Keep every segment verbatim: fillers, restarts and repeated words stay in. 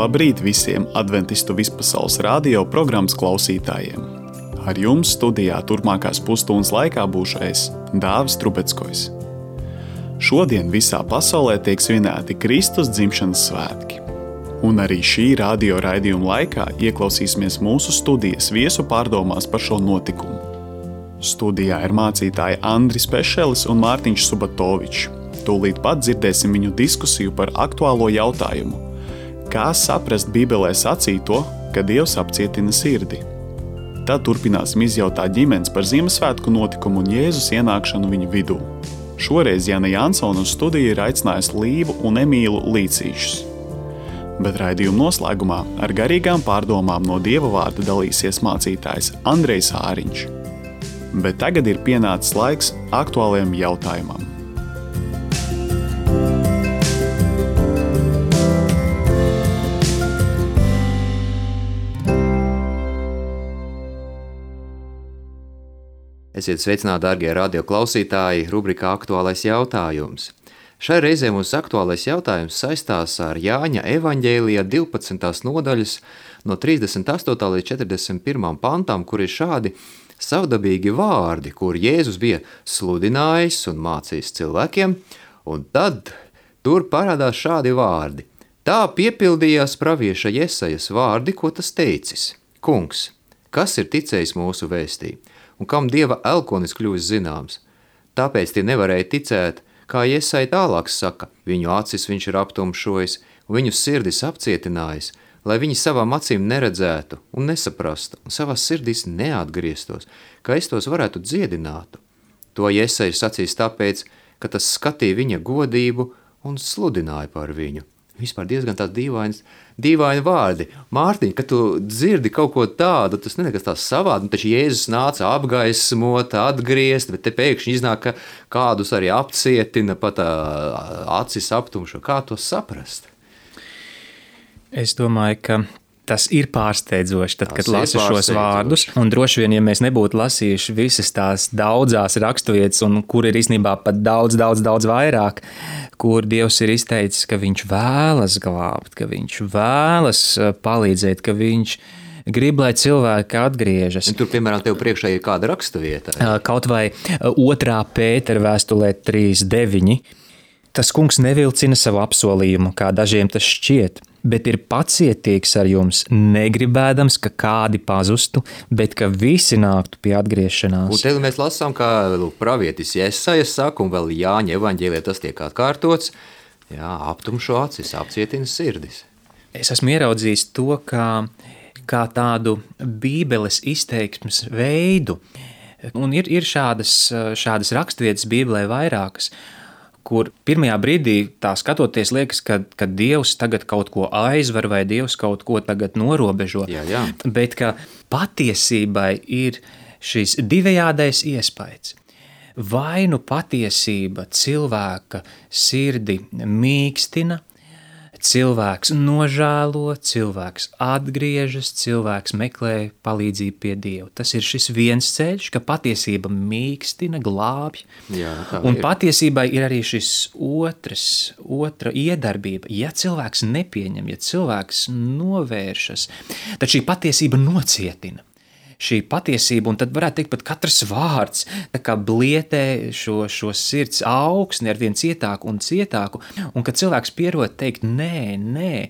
Labrīt visiem adventistu vispasaules radio programmas klausītājiem! Ar jums studijā turpmākās pusstundas laikā būšu es, Dāvis Trubetskojs. Šodien visā pasaulē tiek svinēti Kristus dzimšanas svētki. Un arī šī radio raidījuma laikā ieklausīsimies mūsu studijas viesu pārdomās par šo notikumu. Studijā ir mācītāji Andris Pešelis un Mārtiņš Subatovičs. Tūlīt pat dzirdēsim viņu diskusiju par aktuālo jautājumu. Kā saprast Bībelē sacīto, ka Dievs apcietina sirdi? Tad turpināsim izjautāt ģimenes par Ziemassvētku notikumu un Jēzus ienākšanu viņu vidū. Šoreiz Jāna Jansona uz studiju ir aicinājusi Līvu un Emīlu Līcīšus. Bet raidījuma noslēgumā ar garīgām pārdomām no Dieva vārda dalīsies mācītājs Andrejs Āriņš. Bet tagad ir pienācis laiks aktuālajam jautājumam. Esiet sveicināti, dārgie radio klausītāji, rubrikā Aktuālais jautājums. Šai reizē mūsu aktuālais jautājums saistās ar Jāņa evaņģēlijā divpadsmitās nodaļas no trīsdesmit astotā līdz četrdesmit pirmajam pantam, kur ir šādi savdabīgi vārdi, kur Jēzus bija sludinājis un mācījis cilvēkiem, un tad tur parādās šādi vārdi. Tā piepildījās pravieša Jesajas vārdi, ko tas teicis. Kungs, kas ir ticējis mūsu vēstī? Un kam Dieva elkonis kļuvis zināms. Tāpēc tie nevarēja ticēt, kā Jesaja tālāk saka, viņu acis viņš ir aptumšojis, un viņu sirdis apcietinājis, lai viņi savām acīm neredzētu un nesaprastu, un savās sirdīs neatgrieztos, ka es tos varētu dziedināt. To Jesaja ir sacījis tāpēc, ka tas skatīja viņa godību un sludināja par viņu. Vispār diezgan tāds dīvains, dīvaini vārdi. Mārtiņ, kad tu dzirdi kaut ko tādu, tas nekas tās savādi, taču Jēzus nāca apgaismot, atgriezt, bet te pēkšņi iznāk, ka kādus arī apcietina, pat acis aptumšo. Kā to saprast? Es domāju, ka tas ir pārsteidzoši, tad, kad lasu šos vārdus, un droši vien, ja mēs nebūtu lasījuši visas tās daudzās raksturvietas, un kur ir īstenībā pat daudz, daudz, daudz vairāk, kur Dievs ir izteicis, ka viņš vēlas glābt, ka viņš vēlas palīdzēt, ka viņš grib, lai cilvēki atgriežas. Un tur, piemēram, tev priekšā ir kāda raksturvieta? Kaut vai otrā Pētera vēstulē trīs deviņi. Tas kungs nevilcina savu apsolījumu, kā dažiem tas šķiet, bet ir pacietīgs ar jums, negribēdams, ka kādi pazustu, bet ka visi nāktu pie atgriešanās. Un te mēs lasām, kā pravietis Jesaja saka, un vēl Jāņa evaņģēlijā tas tiek atkārtots, jā, aptumšo acis, apcietina sirdis. Es esmu ieraudzījis to, kā, kā tādu Bībeles izteiksmes veidu, un ir, ir šādas, šādas raksturvietas Bībelē vairākas, kur pirmajā brīdī tā skatoties liekas, ka, ka Dievs tagad kaut ko aizver vai Dievs kaut ko tagad norobežo. Jā, jā. Bet ka patiesībai ir šis divējādais iespējas. Vai nu patiesība cilvēka sirdi mīkstina, cilvēks nožēlo, cilvēks atgriežas, cilvēks meklē palīdzību pie Dieva. Tas ir šis viens ceļš, ka patiesība mīkstina, glābj. Jā, un patiesībai ir arī šis otrs, otra iedarbība. Ja cilvēks nepieņem, ja cilvēks novēršas, tad šī patiesība nocietina. Šī patiesība, un tad varētu teikt pat katrs vārds, tā kā blietē šo, šo sirds augsni ar vien cietāku un cietāku, un kad cilvēks pierod teikt nē, nē,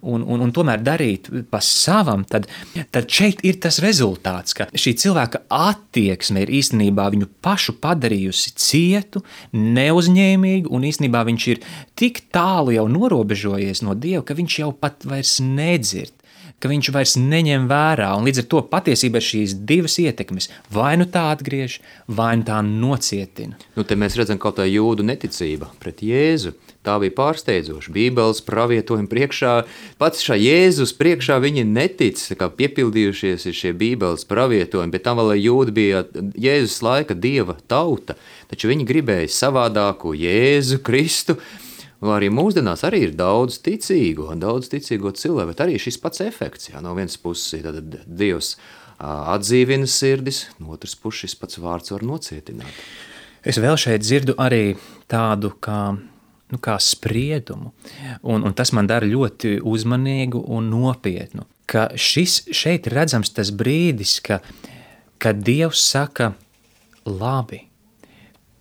un, un, un tomēr darīt pa savam, tad, tad šeit ir tas rezultāts, ka šī cilvēka attieksme ir īstenībā viņu pašu padarījusi cietu, neuzņēmīgu, un īstenībā viņš ir tik tālu jau norobežojies no Dieva, ka viņš jau pat vairs nedzird, ka viņš vairs neņem vērā, un līdz ar to patiesībā ir šīs divas ietekmes. Vai nu tā atgriež, vai nu tā nocietina. Nu, te mēs redzam kaut tā jūdu neticība pret Jēzu. Tā bija pārsteidzoša. Bībeles pravietojumi priekšā, pats šā Jēzus priekšā viņi netic, kā piepildījušies ir šie Bībeles pravietojumi, bet tam vēl jūdi bija Jēzus laika Dieva tauta, taču viņi gribēja savādāku Jēzu Kristu. Arī mūsdienās arī ir daudz ticīgo, daudz ticīgo cilvēku, bet arī šis pats efekts. Jā, no vienas puses tad Dievs atdzīvina sirdis, no otras puses šis pats vārds var nocietināt. Es vēl šeit dzirdu arī tādu kā nu, kā spriedumu. Un, un tas man dara ļoti uzmanīgu un nopietnu. Ka šis šeit redzams tas brīdis, ka, kad Dievs saka, labi,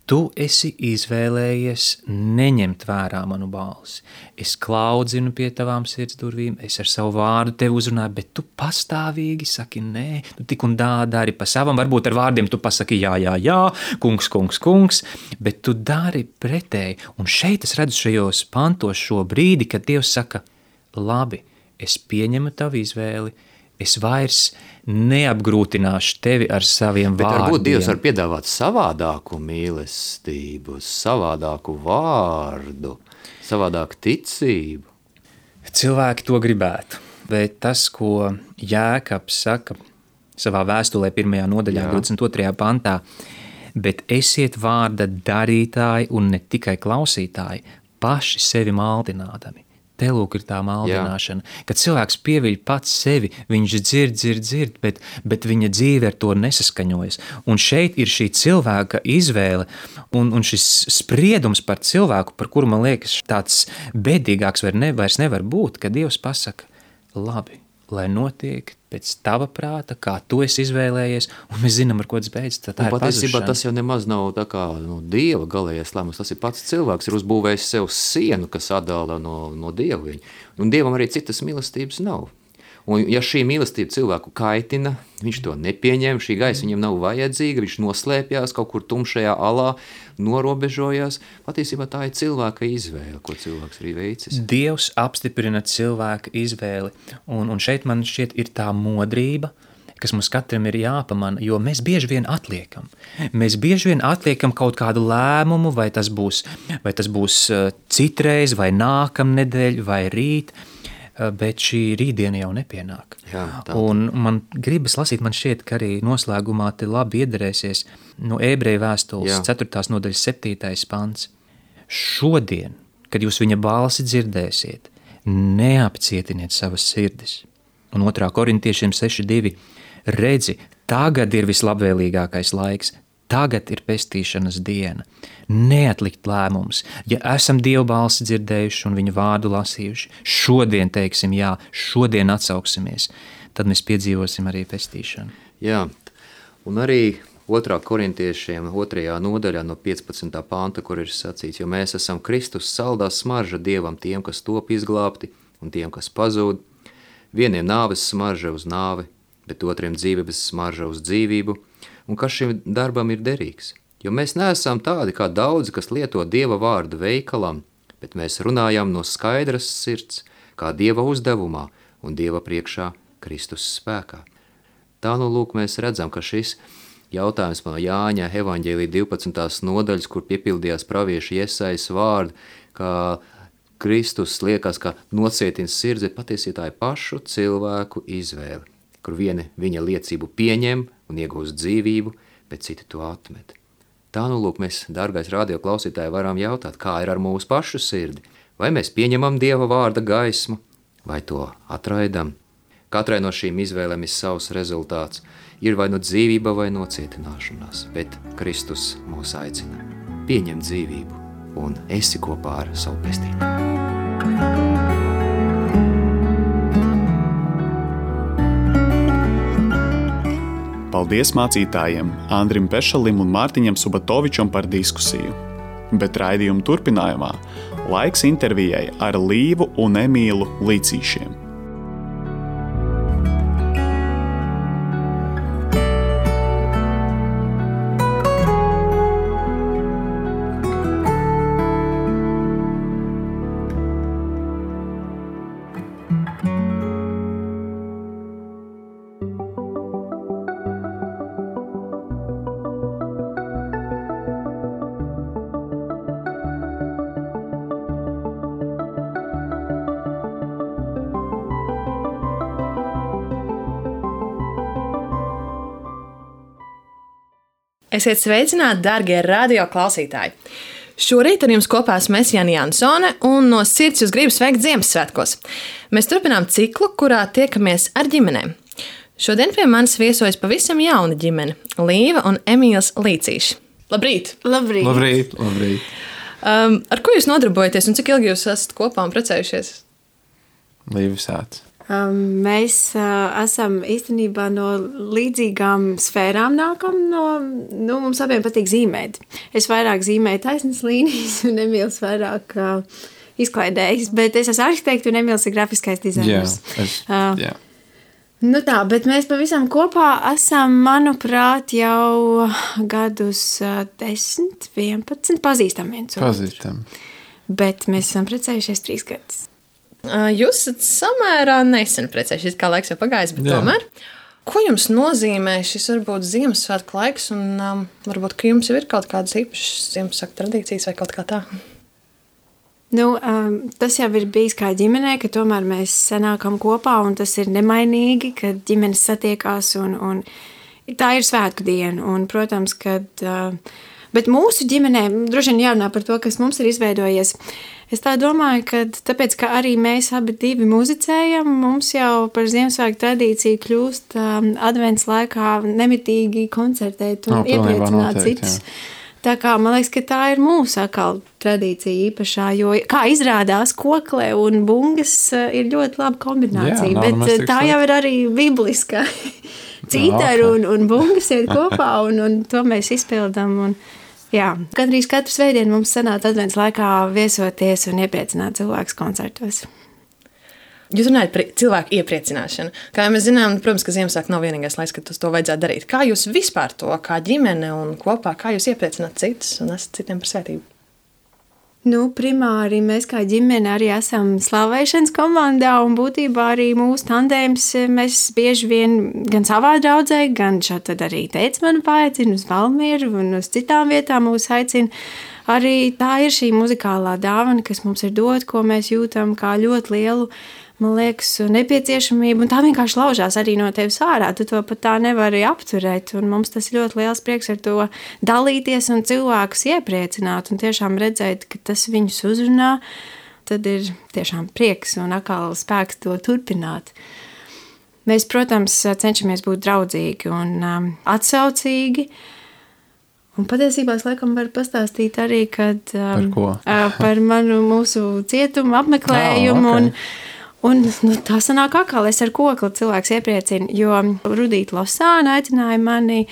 tu esi izvēlējies neņemt vērā manu balsi. Es klaudzinu pie tavām sirds durvīm, es ar savu vārdu tevi uzrunāju, bet tu pastāvīgi saki nē, tu tik un tā dari pa savam, varbūt ar vārdiem tu pasaki jā, jā, jā, kungs, kungs, kungs, bet tu dari pretēji. Un šeit es redzu šajos pantos šo brīdi, kad Dievs saka, labi, es pieņemu tavu izvēli, es vairs neapgrūtināšu tevi ar saviem Bet vārdiem. Bet varbūt Dievs var piedāvāt savādāku mīlestību, savādāku vārdu, savādāku ticību. Cilvēki to gribētu, bet tas, ko Jēkabs saka savā vēstulē pirmajā nodaļā, Jā. divdesmit otrajā pantā, bet esiet vārda darītāji un ne tikai klausītāji, paši sevi maldinādami. Te lūk ir tā maldināšana, Jā. Kad cilvēks pieviļ pats sevi, viņš dzird, dzird, dzird, bet, bet viņa dzīve ar to nesaskaņojas. Un šeit ir šī cilvēka izvēle un, un šis spriedums par cilvēku, par kuru man liekas tāds bedīgāks var ne, vairs nevar būt, kad Dievs pasaka, labi, lai notiek pēc tava prāta, kā tu esi izvēlējies, un mēs zinām, ar ko tas beidzas, tā, tā ir patiesībā pazušana. Tas jau nemaz nav tā kā no Dieva galējais lēmums, tas ir pats cilvēks, ir uzbūvējis sev sienu, kas atdala no, no Dieva viņu. Un Dievam arī citas mīlestības nav. Un ja šī mīlestība cilvēku kaitina, viņš to nepieņem, šī gaisa viņam nav vajadzīga, viņš noslēpjās kaut kur tumšajā alā, norobežojās. Patiesībā tā ir cilvēka izvēle, ko cilvēks arī veicis. Dievs apstiprina cilvēka izvēli, un, un šeit man šķiet ir tā modrība, kas mums katram ir jāpamana, jo mēs bieži vien atliekam. Mēs bieži vien atliekam kaut kādu lēmumu, vai tas būs, vai tas būs citreiz, vai nākamnedēļ, vai rīt, bet šī rītdiena jau nepienāk. Jā, tā. Un man gribas lasīt, man šķiet, ka arī noslēgumā te labi iederēsies no Ebreju vēstules Jā. ceturtās nodaļas septītais pants. Šodien, kad jūs viņa balsi dzirdēsiet, neapcietiniet savas sirdis. Un otrā korintiešiem seši divi. Redzi, tagad ir vislabvēlīgākais laiks, tagad ir pestīšanas diena. Neatlikt lēmums, ja esam Dieva balsi dzirdējuši un viņa vārdu lasījuši, šodien teiksim jā, šodien atsauksimies, tad mēs piedzīvosim arī pestīšanu. Jā, un arī otrā korintiešiem otrajā nodaļā no piecpadsmitā panta, kur ir sacīts, jo mēs esam Kristus saldā smarža Dievam tiem, kas top izglābti un tiem, kas pazūd. Vieniem nāves smarža uz nāvi, bet otriem dzīvības smarža uz dzīvību, un kas šim darbam ir derīgs. Jo mēs neesam tādi kā daudzi, kas lieto Dieva vārdu veikalam, bet mēs runājam no skaidras sirds, kā Dieva uzdevumā un Dieva priekšā Kristus spēkā. Tā nu lūk mēs redzam, ka šis jautājums no Jāņa evaņģēlija divpadsmitās nodaļas, kur piepildījās pravieša Jesajas vārdu, kā Kristus liekas, ka nocietina sirds, bet patiesībā tā ir pašu cilvēku izvēle, kur vieni viņa liecību pieņem un iegūst dzīvību, bet citi to atmet. Tā nu lūk mēs, dārgais radio klausītāji, varam jautāt, kā ir ar mūsu pašu sirdi. Vai mēs pieņemam Dieva vārda gaismu, vai to atraidam? Katrai no šīm izvēlēm ir savs rezultāts. Ir vai no dzīvība, vai no cietināšanās, bet Kristus mūs aicina. Pieņem dzīvību un esi kopā ar savu pestītāju. Paldies mācītājiem Andrim Pešalim un Mārtiņam Subatovičam par diskusiju. Bet raidījuma turpinājumā laiks intervijai ar Līvu un Emīlu Līcīšiem. Esiet sveicināti, darbie radio klausītāji! Šorīt ar jums kopā esmu Jāņa Jansone un no sirds jūs gribu sveikt Ziemassvētkos. Mēs turpinām ciklu, kurā tiekamies ar ģimenēm. Šodien pie manis viesojas pavisam jauna ģimene – Līva un Emīls Līcīši. Labrīt! Labrīt! Labrīt, labrīt. Um, ar ko jūs nodarbojaties un cik ilgi jūs esat kopā un precējušies? Līvis sāc. Um, mēs uh, esam īstenībā no līdzīgām sfērām nākam. No, nu, mums abiem patīk zīmēt. Es vairāk zīmēju taisnas līnijas un Emīls vairāk uh, izklaidējis. Bet es esmu arhitekts un Emīls ir grafiskais dizainers. Jā, es, uh, jā. Nu tā, bet mēs pavisam kopā esam, manuprāt, jau gadus desmit, vienpadsmit pazīstam viens otru. Pazīstam. Bet mēs esam precējušies trīs gadus. Jūs esat samērā nesen precējušies, kā laiks jau pagājis, bet Jā. tomēr. Ko jums nozīmē šis varbūt Ziemassvētku laiks un um, varbūt, ka jums jau ir kaut kādas īpašas Ziemassvētku tradīcijas vai kaut kā tā? Nu, um, tas jau ir bijis kā ģimenē, ka tomēr mēs sanākam kopā un tas ir nemainīgi, kad ģimenes satiekās un, un tā ir svētku diena. Un, protams, kad, uh, bet mūsu ģimenē, droši vien jārunā par to, kas mums ir izveidojies. Es tā domāju, ka tāpēc, ka arī mēs abi divi muzicējam, mums jau par Ziemassvētku tradīciju kļūst um, advents laikā nemitīgi koncertēt un no, iepriecināt citus. Jā. Tā kā man liekas, ka tā ir mūsu atkal tradīcija īpašā, jo, kā izrādās, kokle un bungas ir ļoti laba kombinācija, Jā, bet tā jau ir arī bibliskā. Cītaru un, un bungas iet kopā, un, un to mēs izpildām. Un, jā, gandrīz katru svētdienu mums sanāca advents laikā viesoties un iepriecināt cilvēkus koncertos. Jūs runājat par cilvēku iepriecināšanu. Kā mēs zinām, protams, ka Ziemassvētku nav vienīgais laiks, kad to vajadzētu darīt. Kā jūs vispār to, kā ģimene un kopā, kā jūs iepriecināt citus un esat citiem par svētību? Nu, primāri mēs kā ģimene arī esam slavēšanas komandā un būtībā arī mūsu tandēms mēs bieži vien gan savā draudzē, gan šādi tad arī teica mani paaicina uz Valmieru un uz citām vietām mūs aicina. Arī tā ir šī muzikālā dāvana, kas mums ir dot, ko mēs jūtam kā ļoti lielu, man liekas, nepieciešamība, un tā vienkārši laužās arī no tevis ārā. Tu to pat tā nevari apturēt, un mums tas ir ļoti liels prieks ar to dalīties un cilvēkus iepriecināt, un tiešām redzēt, ka tas viņus uzrunā, tad ir tiešām prieks un atkal spēks to turpināt. Mēs, protams, cenšamies būt draudzīgi un um, atsaucīgi, un patiesībā es laikam varu pastāstīt arī, kad, um, Par ko? uh, par manu mūsu cietumu apmeklējumu, oh, okay. un Un nu, tā sanāk atkal, es ar kokli cilvēks iepriecinu, jo Rudīta Losāna aicināja mani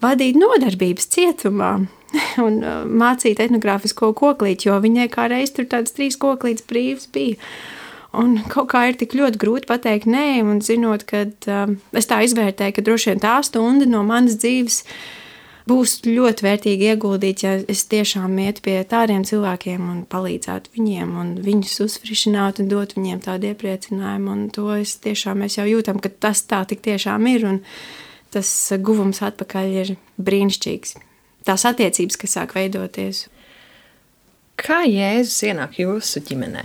vadīt nodarbības cietumā un mācīt etnogrāfisko koklīti, jo viņai kā reiz tur tāds trīs koklītes brīvs bija. Un kaut kā ir tik ļoti grūti pateikt nē, un zinot, ka um, es tā izvērtēju, ka droši vien tā stunda no manas dzīves būs ļoti vērtīgi ieguldīt, ja es tiešām ietu pie tādiem cilvēkiem un palīdzētu viņiem un viņus uzfrišināt un dot viņiem tādu iepriecinājumu. Un to es tiešām mēs jau jūtam, ka tas tā tik tiešām ir un tas guvums atpakaļ ir brīnišķīgs. Tās attiecības, kas sāk veidoties. Kā Jēzus ienāk jūsu ģimenē?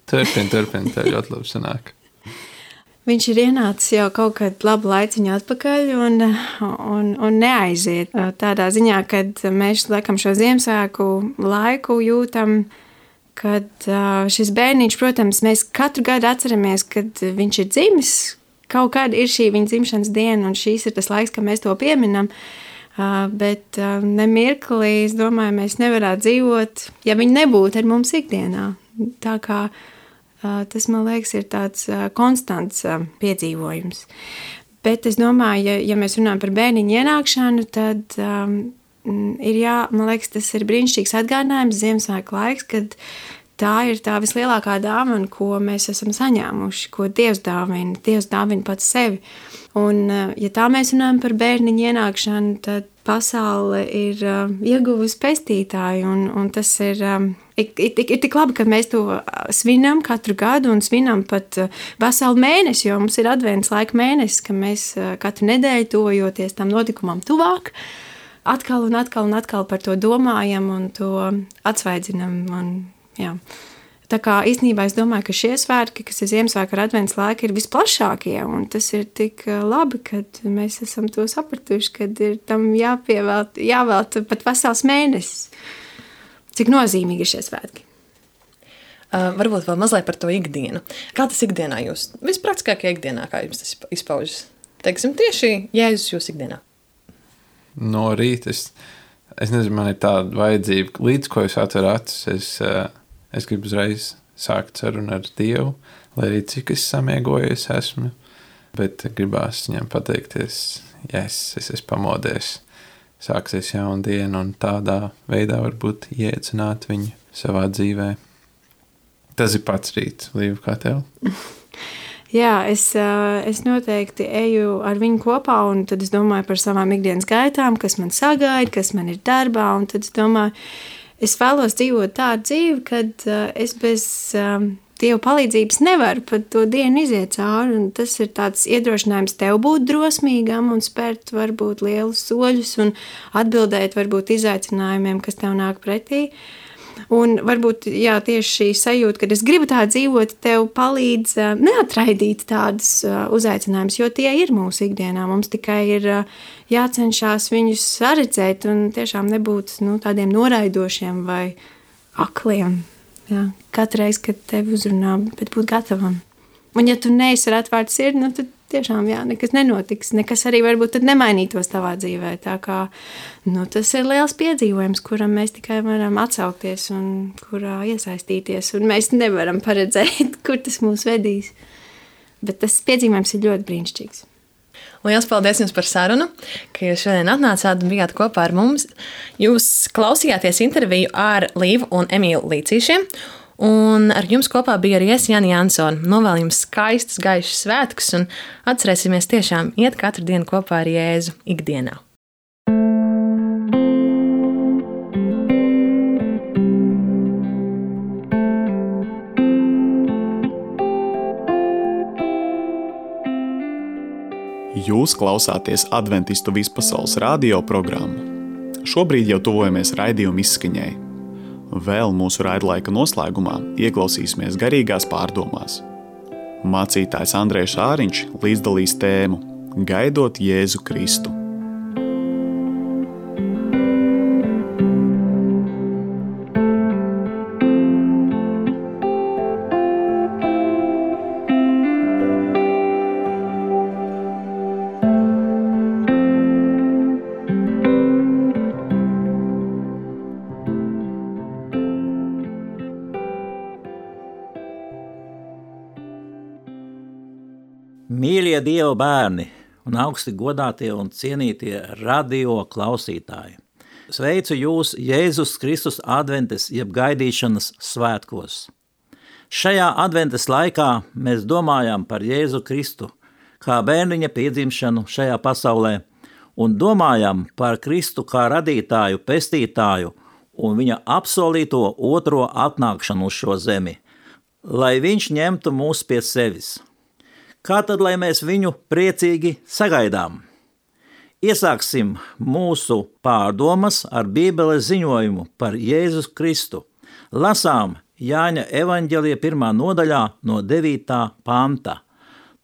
Turpin, turpin, tā ļoti labi sanāk. Viņš ir ienācis jau kaut kad labu laiciņu atpakaļ un, un, un neaiziet. Tādā ziņā, kad mēs laikam šo Ziemassvētku laiku jūtam, kad šis bērniņš, protams, mēs katru gadu atceramies, kad viņš ir dzimis. Kaut kāda ir šī viņa dzimšanas diena un šīs ir tas laiks, kad mēs to pieminam. Bet nemirklī, es domāju, mēs nevarētu dzīvot, ja viņi nebūtu ar mums ikdienā. Tā kā tas, man liekas, ir tāds konstants piedzīvojums. Bet es domāju, ja, ja mēs runājam par bērniņu ienākšanu, tad um, ir jā, man liekas, tas ir brīnišķīgs atgādinājums Ziemassvētku laiks, kad tā ir tā vislielākā dāvana, ko mēs esam saņēmuši, ko Dievs dāvina. Dievs dāvina pats sevi. Un, ja tā mēs runājam par bērniņu ienākšanu, tad pasaule ir uh, ieguvusi pestītāju, un, un tas ir, um, ir, ir, ir tik labi, ka mēs to svinam katru gadu un svinam pat uh, veselu mēnesi, jo mums ir advents laika mēnesis, ka mēs uh, katru nedēļu tuvojoties tam notikumam tuvāk, atkal un atkal un atkal par to domājam un to atsvaidzinam. Un, jā. Tā kā īstenībā es domāju, ka šie svētki, kas ir Ziemassvētku ar advents laika, ir visplašākie, un tas ir tik labi, kad mēs esam to sapratuši, kad ir tam jāpievēlt, jāvēlta pat vesels mēnesis. Cik nozīmīgi ir šie svētki? Uh, varbūt vēl mazliet par to ikdienu. Kā tas ikdienā jūs, vispraktiskākajā ikdienā, kā jums tas izpaužas? Teiksim, tieši Jēzus jūs ikdienā. No rīta es Es nezinu, man ir tāda vajadzība, līdz ko es atveru acis, es, es gribu uzreiz sākt sarunu ar Dievu, lai arī cik es samiegojies esmu, bet gribās viņam pateikties, yes, es esmu pamodies, sāksies jauna diena un tādā veidā varbūt iecināt viņu savā dzīvē. Tas ir pats rīts, Līva, kā tev? Jā, es, es noteikti eju ar viņu kopā, un tad es domāju par savām ikdienas gaitām, kas man sagaida, kas man ir darbā, un tad es domāju, es vēlos dzīvot tādu dzīvi, kad es bez Dieva palīdzības nevaru pat to dienu iziet cauri, un tas ir tāds iedrošinājums tev būt drosmīgam un spērt varbūt lielus soļus un atbildēt varbūt izaicinājumiem, kas tev nāk pretī. Un varbūt jā, tieši šī sajūta, kad es gribu tā dzīvot, tev palīdz uh, neatraidīt tādus uh, uzaicinājumus, jo tie ir mūsu ikdienā. Mums tikai ir uh, jācenšas viņus saredzēt un tiešām nebūt nu, tādiem noraidošiem vai akliem. Jā, katru reizi, kad tevi uzrunā, bet būt gatavam. Un ja tu neesi ar atvērtu sirdi, nu, tad tiešām jā, nekas nenotiks, nekas arī varbūt tad nemainītos tavā dzīvē. Tā kā nu, tas ir liels piedzīvojums, kuram mēs tikai varam atsaukties un kurā iesaistīties. Un mēs nevaram paredzēt, kur tas mūs vedīs. Bet tas piedzīvojums ir ļoti brīnišķīgs. Liels paldies jums par sarunu, ka jūs šodien atnācāt un bijāt kopā ar mums. Jūs klausījāties interviju ar Līvu un Emīlu Līcīšiem. Un ar jums kopā bija arī es, Jāņa Jansone. Novēlu jums skaistus, gaišus svētkus un atcerēsimies tiešām iet katru dienu kopā ar Jēzu ikdienā. Jūs klausāties Adventistu vispasaules radio programmu. Šobrīd jau tuvojamies raidījuma izskaņai. Vēl mūsu raidlaika noslēgumā ieklausīsimies garīgās pārdomās. Mācītājs Andrejs Āriņš līdzdalīs tēmu Gaidot Jēzu Kristu. Mīļie Dieva bērni un augsti godātie un cienītie radio klausītāji. Sveicu jūs Jēzus Kristus adventes jeb gaidīšanas svētkos. Šajā adventes laikā mēs domājam par Jēzu Kristu kā bērniņa piedzimšanu šajā pasaulē un domājam par Kristu kā radītāju, pestītāju un viņa apsolīto otro atnākšanu uz šo zemi, lai viņš ņemtu mūs pie sevis. Kā tad, lai mēs viņu priecīgi sagaidām? Iesāksim mūsu pārdomas ar Bībeles ziņojumu par Jēzus Kristu. Lasām Jāņa evaņģelija pirmā nodaļā no devītā panta.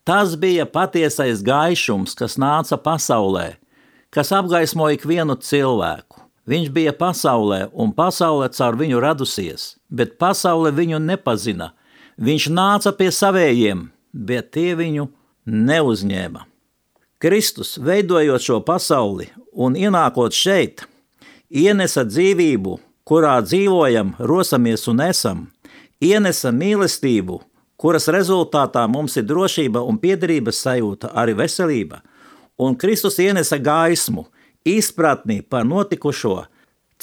Tas bija patiesais gaišums, kas nāca pasaulē, kas apgaismoja ikvienu cilvēku. Viņš bija pasaulē, un pasaule caur viņu radusies, bet pasaule viņu nepazina. Viņš nāca pie savējiem, bet tie viņu neuzņēma. Kristus, veidojot šo pasauli un ienākot šeit, ienesa dzīvību, kurā dzīvojam, rosamies un esam, ienesa mīlestību, kuras rezultātā mums ir drošība un piederības sajūta, arī veselība, un Kristus ienesa gaismu, izpratni par notikušo,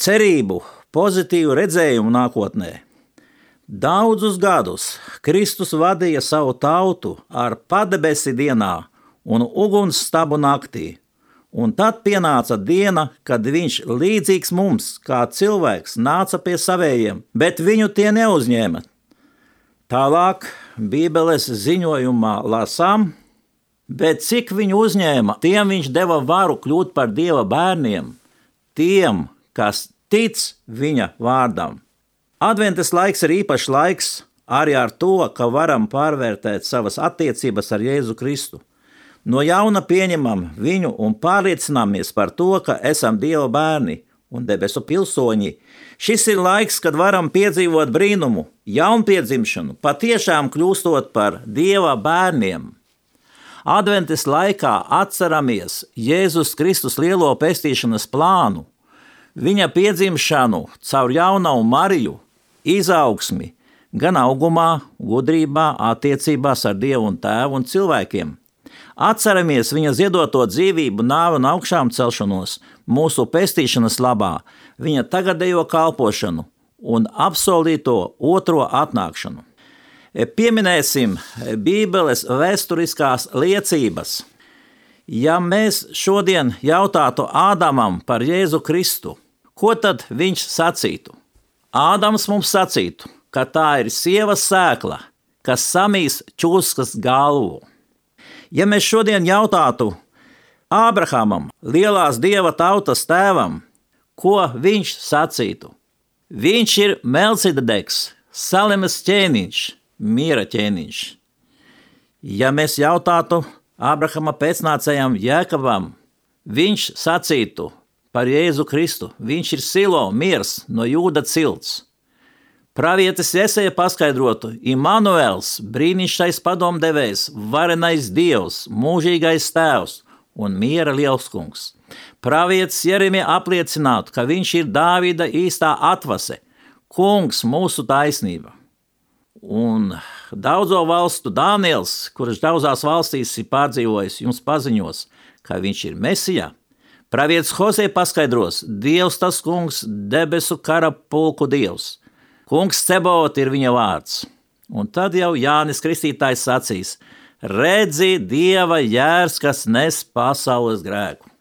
cerību, pozitīvu redzējumu nākotnē. Daudzus gadus Kristus vadīja savu tautu ar padebesi dienā un ugunsstabu naktī, un tad pienāca diena, kad viņš līdzīgs mums, kā cilvēks, nāca pie savējiem, bet viņu tie neuzņēma. Tālāk Bībeles ziņojumā lasām, bet cik viņu uzņēma, tiem viņš deva varu kļūt par Dieva bērniem, tiem, kas tic viņa vārdam. Adventes laiks ir īpašs laiks arī ar to, ka varam pārvērtēt savas attiecības ar Jēzu Kristu. No jauna pieņemam viņu un pārliecināmies par to, ka esam Dieva bērni un debesu pilsoņi. Šis ir laiks, kad varam piedzīvot brīnumu, jaunpiedzimšanu, patiešām kļūstot par Dieva bērniem. Adventes laikā atceramies Jēzus Kristus lielo pestīšanas plānu. viņa piedzimšanu caur jaunavu Mariju, izaugsmi gan augumā, gudrībā, attiecībās ar Dievu un Tēvu un cilvēkiem. Atceramies viņa ziedoto dzīvību, nāvi un augšām celšanos, mūsu pestīšanas labā, viņa tagadējo kalpošanu un apsolīto otro atnākšanu. Pieminēsim Bībeles vēsturiskās liecības. Ja mēs šodien jautātu Ādamam par Jēzu Kristu, ko tad viņš sacītu? Ādams mums sacītu, ka tā ir sievas sēkla, kas samīs čūskas galvu. Ja mēs šodien jautātu Ābrahamam, lielās Dieva tautas tēvam, ko viņš sacītu? Viņš ir Melcidedeks, Salemes ķēniņš, miera ķēniņš. Ja mēs jautātu Ābrahama pēcnācējam Jēkabam, viņš sacītu par Jēzu Kristu, viņš ir Silo, miers no Jūda cilts. Pravietis Jesaja paskaidrotu, Imanuels, brīnišķīgais padomdevējs, varenais Dievs, mūžīgais tēvs un miera lielskungs. Pravietis Jeremija apliecinātu, ka viņš ir Dāvida īstā atvase, kungs mūsu taisnība. Un daudzo valstu Dāniels, kurš daudzās valstīs ir pārdzīvojis, jums paziņos, ka viņš ir Mesijā. Pravietis Hozē paskaidros, Dievs tas kungs, debesu kara pulku Dievs. Kungs Cebot ir viņa vārds. Un tad jau Jānis Kristītājs sacīs, redzi Dieva jērs, kas nes pasaules grēku.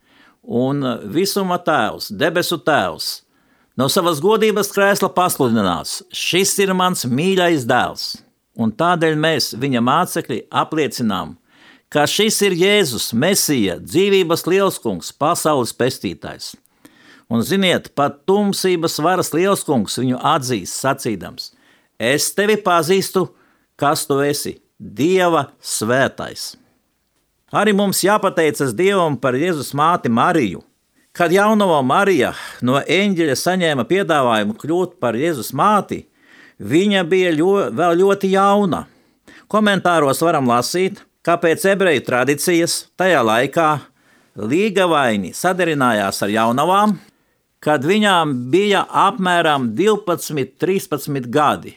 Un visuma tēvs, debesu tēvs, no savas godības krēsla pasludinās, šis ir mans mīļais dēls. Un tādēļ mēs, viņa mācekļi, apliecinām, ka šis ir Jēzus, Mesija, dzīvības lielskungs, pasaules pestītājs. Un ziniet, pat tumsības varas lielskungs viņu atzīst sacīdams, es tevi pazīstu, kas tu esi, Dieva svētais. Arī mums jāpateicas Dievam par Jēzus māti Mariju. Kad jaunava Marija no eņģeļa saņēma piedāvājumu kļūt par Jēzus māti, viņa bija ļo, vēl ļoti jauna. Komentāros varam lasīt, ka pēc ebreju tradīcijas tajā laikā līgavaini sadarinājās ar jaunavām, kad viņām bija apmēram divpadsmit, trīspadsmit gadi,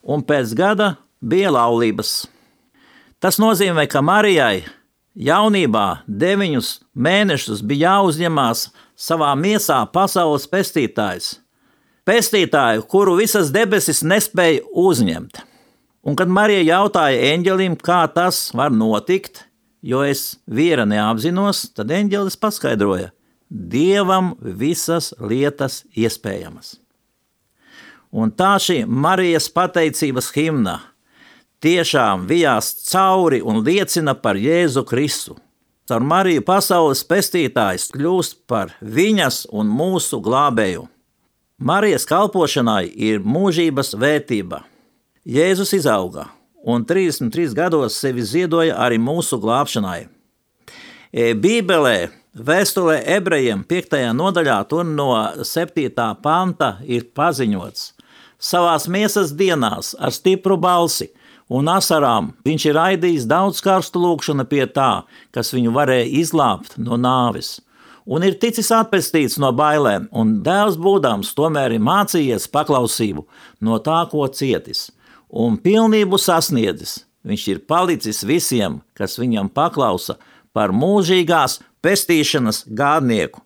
un pēc gada bija laulības. Tas nozīmē, ka Marijai jaunībā deviņus mēnešus bija jāuzņemās savā miesā pasaules pestītājs, pestītāju, kuru visas debesis nespēja uzņemt. Un kad Marija jautāja eņģelim, kā tas var notikt, jo es viera neapzinos, tad eņģelis paskaidroja, Dievam visas lietas iespējamas. Un tā šī Marijas pateicības himna tiešām vijās cauri un liecina par Jēzu Kristu. Caur Mariju pasaules pestītājs kļūst par viņas un mūsu glābēju. Marijas kalpošanai ir mūžības vērtība. Jēzus izauga un trīsdesmit trīs gados sevi ziedoja arī mūsu glābšanai. Bībelē, vēstulē ebrejiem piektajā nodaļā, tur no septītā panta ir paziņots. Savās miesas dienās ar stipru balsi un asarām viņš ir raidījis daudz karstu lūgšanu pie tā, kas viņu varēja izglābt no nāves. Un ir ticis atpestīts no bailēm, un dēls būdams tomēr ir mācījies paklausību no tā, ko cietis. Un pilnību sasniedzis, viņš ir palicis visiem, kas viņam paklausa, par mūžīgās pestīšanas gādnieku.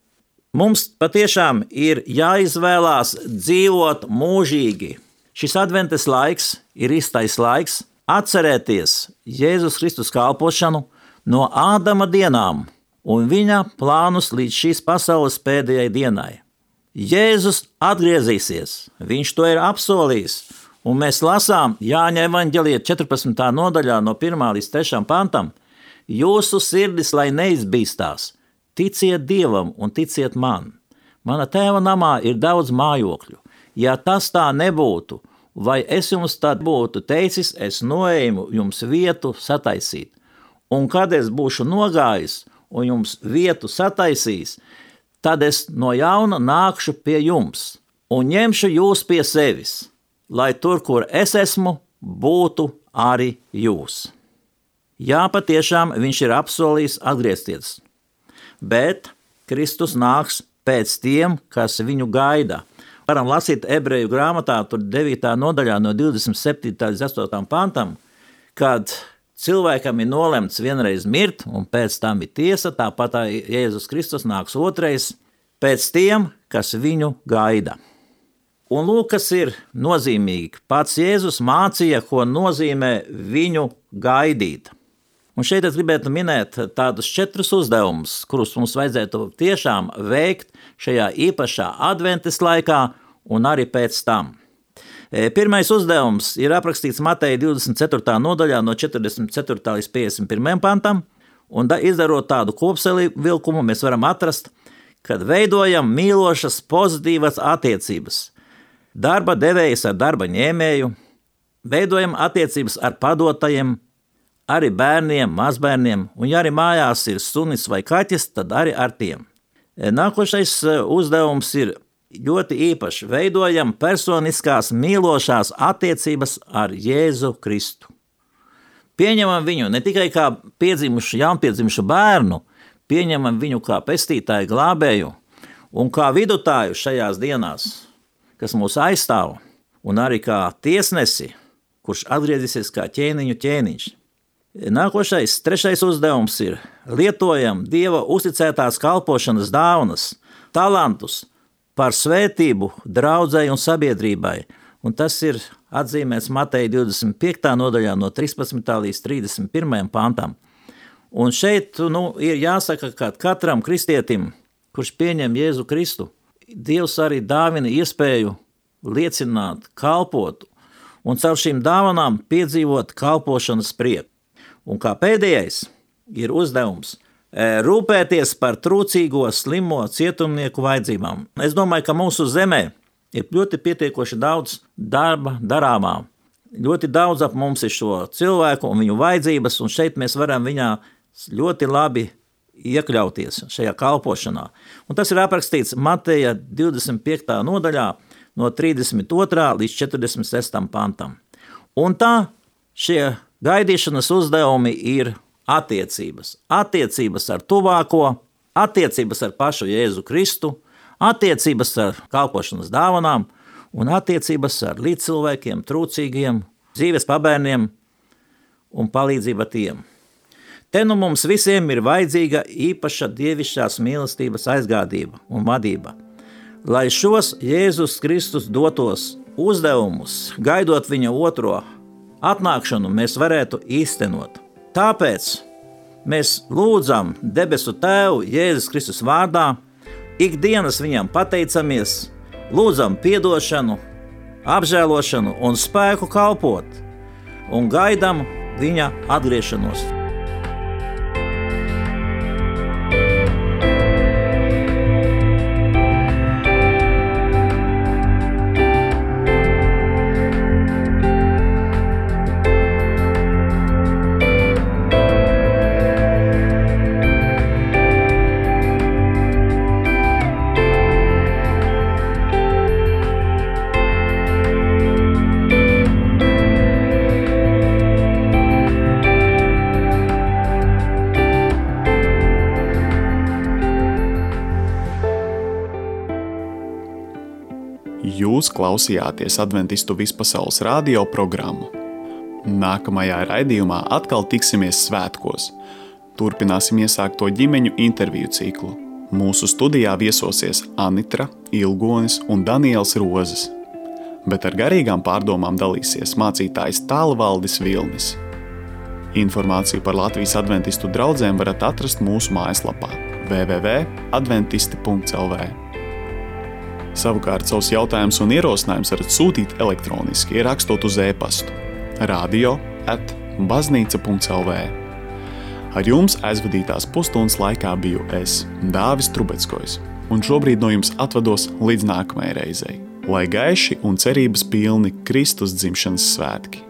Mums patiešām ir jāizvēlās dzīvot mūžīgi. Šis adventes laiks ir īstais laiks atcerēties Jēzus Kristus kalpošanu no Ādama dienām un viņa plānus līdz šīs pasaules pēdējai dienai. Jēzus atgriezīsies, viņš to ir apsolījis, un mēs lasām Jāņa evaņģelija četrpadsmitā nodaļā no pirmā līdz trešajam pantam, jūsu sirdis, lai neizbīstās, ticiet Dievam un ticiet man. Mana tēva namā ir daudz mājokļu. Ja tas tā nebūtu, vai es jums tad būtu teicis, es noēmu jums vietu sataisīt. Un kad es būšu nogājis un jums vietu sataisījis, tad es no jauna nākšu pie jums un ņemšu jūs pie sevis, lai tur, kur es esmu, būtu arī jūs. Jā, patiešām viņš ir apsolījis atgriezties, bet Kristus nāks pēc tiem, kas viņu gaida. Varam lasīt ebreju grāmatā, tur devītā nodaļā no divdesmit septītā līdz astotajam pantam, kad cilvēkam ir nolemts vienreiz mirt, un pēc tam ir tiesa, tāpat Jēzus Kristus nāks otrais, pēc tiem, kas viņu gaida. Un lūk, kas ir nozīmīgi. Pats Jēzus mācīja, ko nozīmē viņu gaidīt. Un šeit es gribētu minēt tādus četrus uzdevumus, kurus mums vajadzētu tiešām veikt šajā īpašā adventas laikā un arī pēc tam. Pirmais uzdevums ir aprakstīts Mateja divdesmit ceturtā nodaļā no četrdesmit ceturtā līdz piecdesmit pirmajam pantam, un izdarot tādu kopsavilkumu, mēs varam atrast, kad veidojam mīlošas, pozitīvas attiecības. Darba devējs ar darba ņēmēju, veidojam attiecības ar padotajiem, arī bērniem, mazbērniem, un ja arī mājās ir sunis vai kaķis, tad arī ar tiem. Nākošais uzdevums ir ļoti īpašs. Veidojam personiskās mīlošās attiecības ar Jēzu Kristu. Pieņemam viņu ne tikai kā piedzimušu, jaunpiedzimušu bērnu, pieņemam viņu kā pestītāju, glābēju un kā vidutāju šajās dienās, kas mūs aizstāv, un arī kā tiesnesi, kurš atgriezīsies kā ķēniņu ķēniņš. Nākošais, trešais uzdevums ir lietojam Dieva uzticētās kalpošanas dāvanas, talantus par svētību draudzei un sabiedrībai, un tas ir atzīmēts Mateja divdesmit piektā nodaļā no trīspadsmitā līdz trīsdesmit pirmajam pantam. Un šeit nu, ir jāsaka, ka katram kristietim, kurš pieņem Jēzu Kristu, Dievs arī dāvina iespēju liecināt, kalpot, un caur šīm dāvanām piedzīvot kalpošanas prieku. Un kā pēdējais ir uzdevums rūpēties par trūcīgo, slimo cietumnieku vajadzībām. Es domāju, ka mūsu zemē ir ļoti pietiekoši daudz darba darāmā. Ļoti daudz ap mums ir šo cilvēku un viņu vajadzības, un šeit mēs varam viņā ļoti labi iekļauties šajā kalpošanā. Un tas ir aprakstīts Mateja divdesmit piektā nodaļā no trīsdesmit otrā līdz četrdesmit sestajam pantam. Un tā šie gaidīšanas uzdevumi ir attiecības. Attiecības ar tuvāko, attiecības ar pašu Jēzu Kristu, attiecības ar kalpošanas dāvanām un attiecības ar līdzcilvēkiem, trūcīgiem, dzīves pabērniem un palīdzība tiem. Te nu mums visiem ir vajadzīga īpaša dievišķās mīlestības aizgādība un vadība. Lai šos Jēzus Kristus dotos uzdevumus, gaidot viņa otro atnākšanu, mēs varētu īstenot. Tāpēc mēs lūdzam debesu Tēvu Jēzus Kristus vārdā, ikdienas viņam pateicamies, lūdzam piedošanu, apžēlošanu un spēku kalpot un gaidam viņa atgriešanos. Jūs klausījāties Adventistu vispasaules radio programmu. Nākamajā raidījumā atkal tiksimies svētkos. Turpināsim iesākto ģimeņu interviju ciklu. Mūsu studijā viesosies Anitra, Ilgonis un Daniels Rozes. Bet ar garīgām pārdomām dalīsies mācītājs Tālvaldis Vilnis. Informāciju par Latvijas adventistu draudzēm varat atrast mūsu mājaslapā w w w punkt adventisti punkt l v. Savukārt savus jautājumus un ierosinājumus varat sūtīt elektroniski, ierakstot uz e-pastu radio at baznīca punkt l v. Ar jums aizvadītās pusstundas laikā biju es, Dāvis Trubeckojs, un šobrīd no jums atvados līdz nākamajai reizei. Lai gaiši un cerības pilni Kristus dzimšanas svētki!